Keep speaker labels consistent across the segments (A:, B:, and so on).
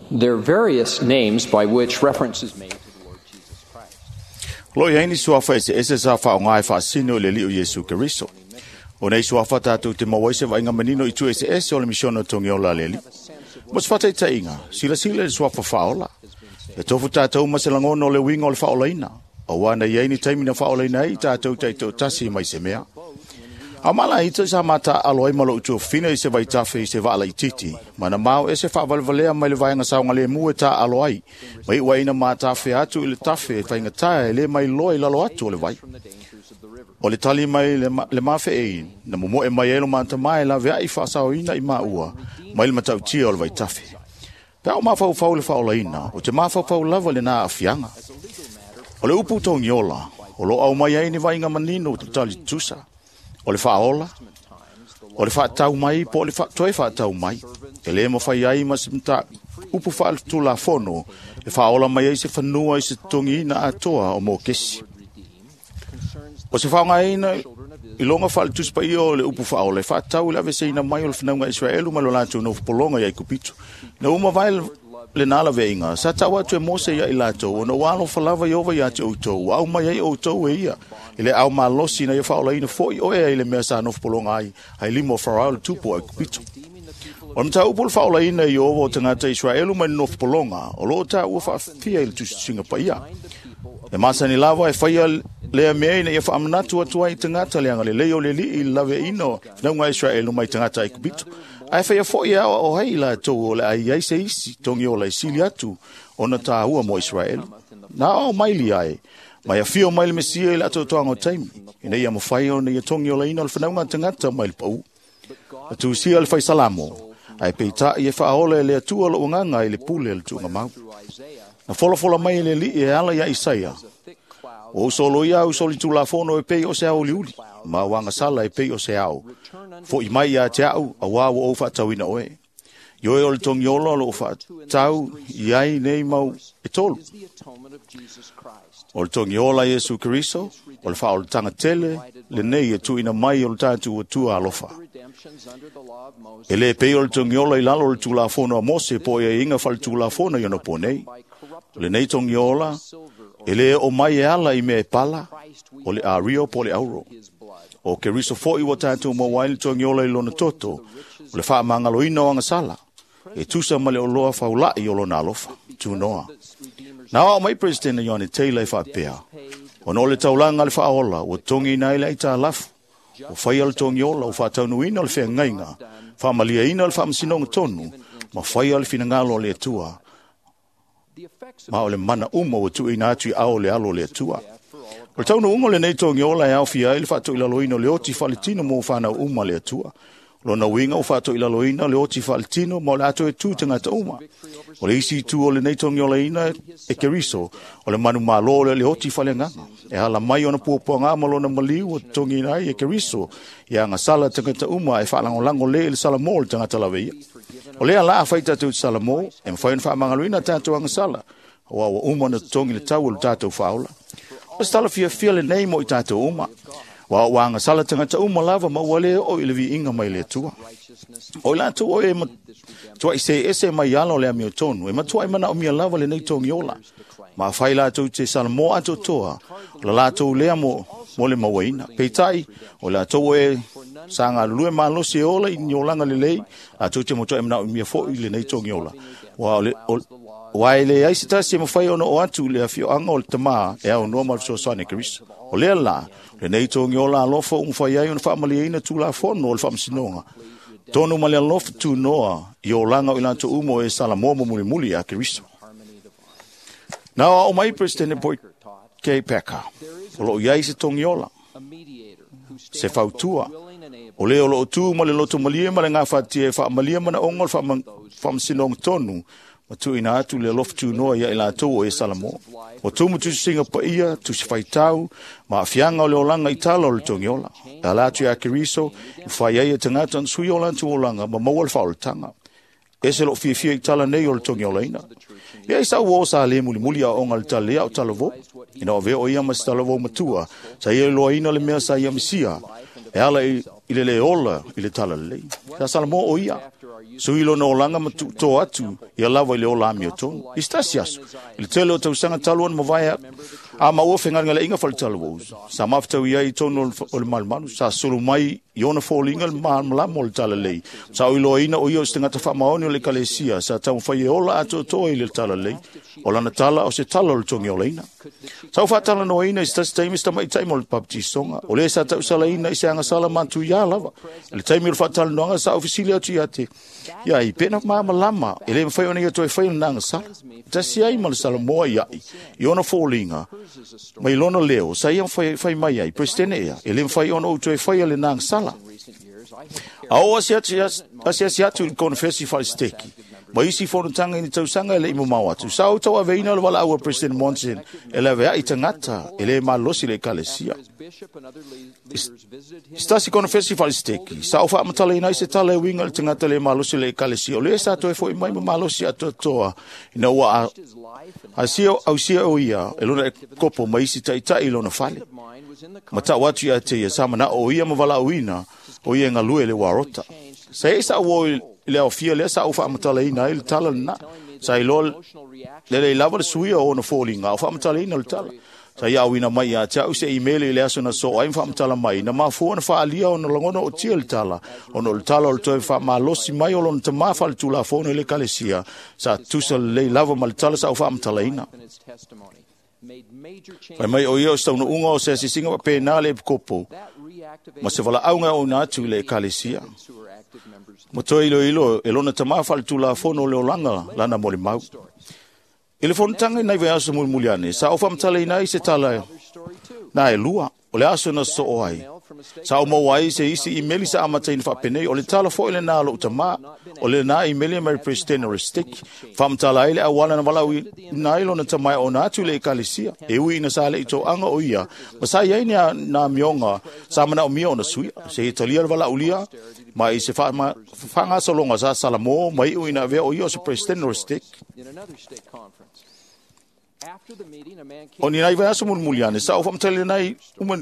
A: There are various names by which reference is made to the Lord Jesus Christ.
B: Lo i ai ni suafa eseese sa faaaoga e faasino i le Alii o Iesu Keriso. O nei suafa tatou te maua ai se vaaiga manino i itu eseese o le misiona togiola a le Alii. Mo se faataitaiga, silasila i le suafa faaola. E tofu tatou ma se lagona o le uiga o le faaolaina, auā na i ai ni taimi na faaolaina ai i tatou taitoatasi mai se mea. A o malaita sa mataaalo ai ma lou tuafafine i se vaitafe i se vaa laitiiti, ma na mao ese faavalevalea mai le vaega saogalemu e taaalo ai, ma iu ai ina matafea atu i le tafe faigata e le mailoa i lalo atu o le vai. O le tali mai le mafeei na momoe mai ai lo matamā e laveai faasaoina i maua mai le matautia o le vaitafe. Pe a o mafaufau i le faaolaina, o te mafaufau lava i lena aafiaga. O le upu togiola, o lo o aumai ai ni vaaiga manino o tali tutusa, o le faaola, o le faatau mai po o le toe faatau mai. E le mafai ai ma se upu faaletulafono e faaola mai ai se fanua i se totogiina atoa o mokesi. O se faaaogaina i loga faaletusi paia o le upu faaola e faatatau i le aveeseina mai o le fanauga a Iseraelu mai lo latou nofopologa i Aikupito. Ina ua mavae lena laveaiga, sa tau atu e Mose ia i latou, ona ua alofa lava Ieova ia te outou, ua aumai ai outou e ia i le aao malosi ina ia faaolaina foi oe ai le mea sa nofopologa ai, ai lima o Farao le tupu o Aikupito. O le mataupu o le faaolaina e Ieova o tagata Iseraelu mai le nofopologa, o lo o taua faafia i le Tusitusiga Paia. E masani lava e faia lea mea ina ia faamanatu atu ai i tagata le agalelei o le Alii i le laveaiina o fanauga a Iseraelu mai tagata Aikupito. Ae faia foi e aoao ai i latou o le a i ai se isi togiola e sili atu ona tāua mo Iseraelu. Na aoao mai lia e, mai afio mai le Mesia i le atoatoaga o taimi, ina ia mafai ona ia togiolaina o le fanauga a tagata mai le pau. Na tusia le fai Salamo, ae peitai e faaola e le Atua lou agaga i le pule a le tuugamau. Na folafola mai e le Alii e ala ia Isaia, Ua ou soloia au solitulafono e pei o se aoliuli, ma au agasala e pei o se ao. Foi mai ia te au, auā ua ou faatauina oe. Ioe o le togiola o loo faatau i ai nei mau e tolu. O le togiola Iesu Keriso, o le faaolataga tele lenei e tuuina mai o le tatou Atua alofa. E le pei o le togiola i lalo o le Tulafono a Mose po o aiaiga faaletulafono i ona po nei. O lenei togiola e le oo mai e ala i mea e pala, o le ario po o le auro. O Keriso foi ua tatou maua ai le togiola i lona toto, o le faamagaloina o agasala, e tusa ma le oloa faulai o lona alofa. Tunoa. Na aoao mai Peresetene Ioane Taylor e faapea, Ona o le taulaga a le faaola ua totogiina ai le aitalafu, ua faia le togiola, ua faataunuuina le feagaiga, faamaliaina le faamasinoga tonu, ma faia le finagalo o le Atua, ma o le mana uma ua tuuina atu i ao o le alo o le Atua. O le taunuuga o lenei togiola e aofia ai le faatoilaloina o le oti faaletino mo fanau uma a le Atua. O lona uiga ua faatoilaloina le oti faaletino ma o le a toe tu tagata uma. O le isi itu o lenei togiolaina e Keriso, o le manumalo o le oti faaleagaga. E ala mai ona puapuaga ma lona maliu ua totogiina ai e Keriso ia agasala tagata uma e faalagolago le i le salamo o le tagata laveia. O lea la afai tatou te salamo, e mafai ona faamagaloina tatou agasala, aua ua uma ona totogi le tau o le tatou faaola. O se tala fiafia lenei mo i tatou uma. Ua ua agasala tagata uma lava ma ua le oo i le viiga mai le Atua. O i latou o e matuai se ese mai ala o le amiotonu, e matuai manaomia lava lenei togiola. Ma afai latou te salamo atoatoa, o la latou lea mo le mauaina. Peitai, o latou o e sa galulue malosi e ola i ni olaga lelei, latou te matuai manaomia foi lenei togiola. Ua e leai se tasi e mafai ona oo atu i le afioaga o le Tama e aunoa ma le fesoasoani a Keriso. O lea la, lenei togiola alofa ua mafai ai ona faamalieina Tulafono o le Faamasinoga, tonu ma le alofa tunoa i olaga o i latou uma o e salamo ma mulimuli ia Keriso. Na aoao mai Peresetene Boyd K. Packer, o lo o i ai se togiola, se fautua, o le o lo o tu ma le loto malie ma le gafatia e faamalia manaoga o le faamasinoga tonu ma tuuina atu le alofa tunoa ia i latou o e Salamo. Ua tumu tusisiga paia, tusi faitau, ma aafiaga o le olaga i tala o le togiola. E ala atu ia Keriso, i fai ai e tagata ona sui o latou olaga ma maua le faaolataga. Ese lou fiafia i tala nei o le togiolaina. Ia i sau uo sa le mulimuli aoaoga a le tala lea o talavou. Ina ua avea o ia ma se talavou matua, sa ia iloaina le mea sa ia misia. E ala i le le ola i le talalelei. Sa Salamo o ia. Sui lona olaga ma tuutoa atu ia lava i le ola amiotonu. I se tasi aso, i le tele o tausaga talu ona mavae a maua fegalegaleaiga faale-talavou, sa mafutaui ai i totonu o le malumalu, sa sulu mai i ona foliga le malamalama o le talalelei. Sa oiloaina o ia o se tagata faamaoni o le ekalesia, sa taumafai e ola atoatoa i le talalelei. O lana tala o se tala o le togiolaina. Sa ou faatalanoaina i se tasi taimi se tamaitai mo le baptisoga, o lē sa tausalaina i se agasala matuiā lava. I le taimi o le faatalanoaga sa ou fesili atu ia te ia ai pena malamalama e le mafai ona ia toe faia lena agasala. Tasi ai ma le Salamoa ia'i i ona foliga mai lona leo sa ia fai mai ai, Presidente ea, e le mafai ona ou toe faia lena agasala. A o asiasi atu i le konefesi faale-Seteki ma isi fonotaga i ni tausaga e le i mamao atu. Sa ou tauaveina le valaau a President Monson e laveai tagata e le malosi le ekalesia. I se tasi konefesi faale-Seteki, sa ou faamatalaina ai se tala e uiga i le tagata le malosi le ekalesia, o lea sa toe fo'i mai ma malosi atoatoa ina ua ausia o ia e lona kopo ma isi ta'ita'i i lona fale. Ma ta'u atu ia te ia sa mana'o o ia ma valaauina o ia e galue le uarota. Sa e sa uo i le aofia lea sa ou faamatalaina ai le tala lena. Sa iloa lelei lava le suia o ona foliga o faamatalaina le tala. Sa ia auina mai ia te au se imeli i le aso na soo ai ma faamatala mai, na mafua na faaalia ona lagona o tia le tala, ona o le tala o le toe faamalosi mai o lona tamā faaletulafono i le ekalesia, sa tusa lelei lava ma le tala sa ou faamatalaina. Fai mai o ia o se taunuuga o se asiasiga faapena le epikopo ma se valaauga e ouna atu i le ekalesia. Ma toe iloilo e lona tamā faaletulafono o le olaga lana molimau. I le fonotaga i nai vaiaso mulimuli ane, sa ou faamatalaina ai se tala na e lua, o le aso na sosoo ai. Sa ou maua ai se isi imeli sa amataina faapenei, o le tala foi lenā a lou tamā, o lenā imeli mai le President o le Stake, faamatala ai le auala na valaauina ai lona tamā e ona atu i le ekalesia, e ui ina sa le'i toaga o ia, ma sa i ai ni amioga sa manaomia ona suia, seia talia le valaaulia, ma i se faagasologa sa Salamo ma iu ina avea o ia o se President o le Stake. O ni nai vaiaso mulimuli ane, sa ou faamatalaina ai uma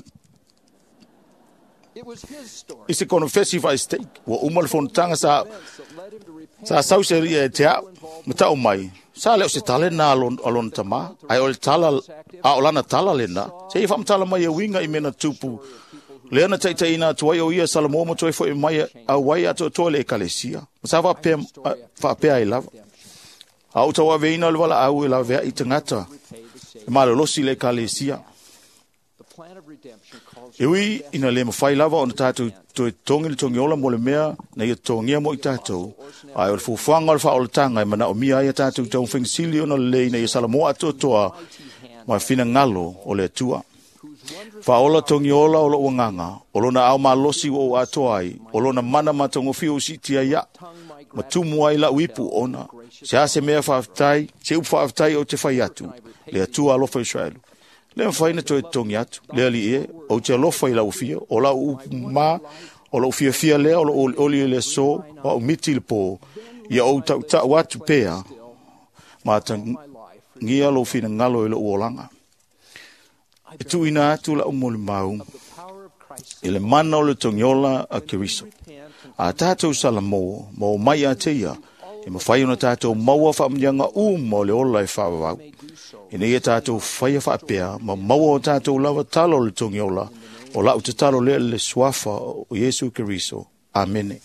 B: i se konefesi faale-stake, ua uma le fonotaga sa sau se alii ia te a'u, ma ta'u mai, sa le o se tala lenā a lona tamā, ae o le tala, a o lana tala lenā, seia faamatala mai e uiga i mea na tupu, lea na taʻitaʻina atu ai o ia Salamo ma toe fo'i mai auai atoatoa i le ekalesia, ma sa faapea ai lava. A ou tauaveina le valaau e laveai tagata e malolosi i le ekalesia. E ui ina le mafai lava ona tatou toe totogi le togiola mo le mea na ia totogia mo i tatou, ae o le fuafuaga o le faaolataga e manaomia ai a tatou taumafaiga sili ona lelei ina ia Salamo atoatoa ma finagalo o le Atua. Faaola togiola o lou agaga, o lona ao malosi ua ou atoa ai, o lona mana matagofie ua siitia ai aʻu, ma tumu ai lau ipu ona. Se a se mea faafetai, se upu faafetai ou te fai atu, le Atua alofa Israelu. Le mafai na toe totogi atu, le alii e, ou te alofa i lau afio, o lau upu ma, o lou fiafia lea, o lou olioli i le aso, o au miti i le pō, ia ou tautau atu pea, ma atagia lou finagalo i lou olaga. E tuuina atu lau molimau i le mana o le togiola a Keriso. A tatou Salamo, ma o mai ia te ia, e mafai ona tatou maua faamanuiaga uma o le ola e faavavau. Ina ia tatou faia faapea, ma maua o tatou lava tala o le togiola, o lau tatalo lea i le suafa o Iesu Keriso. Amene.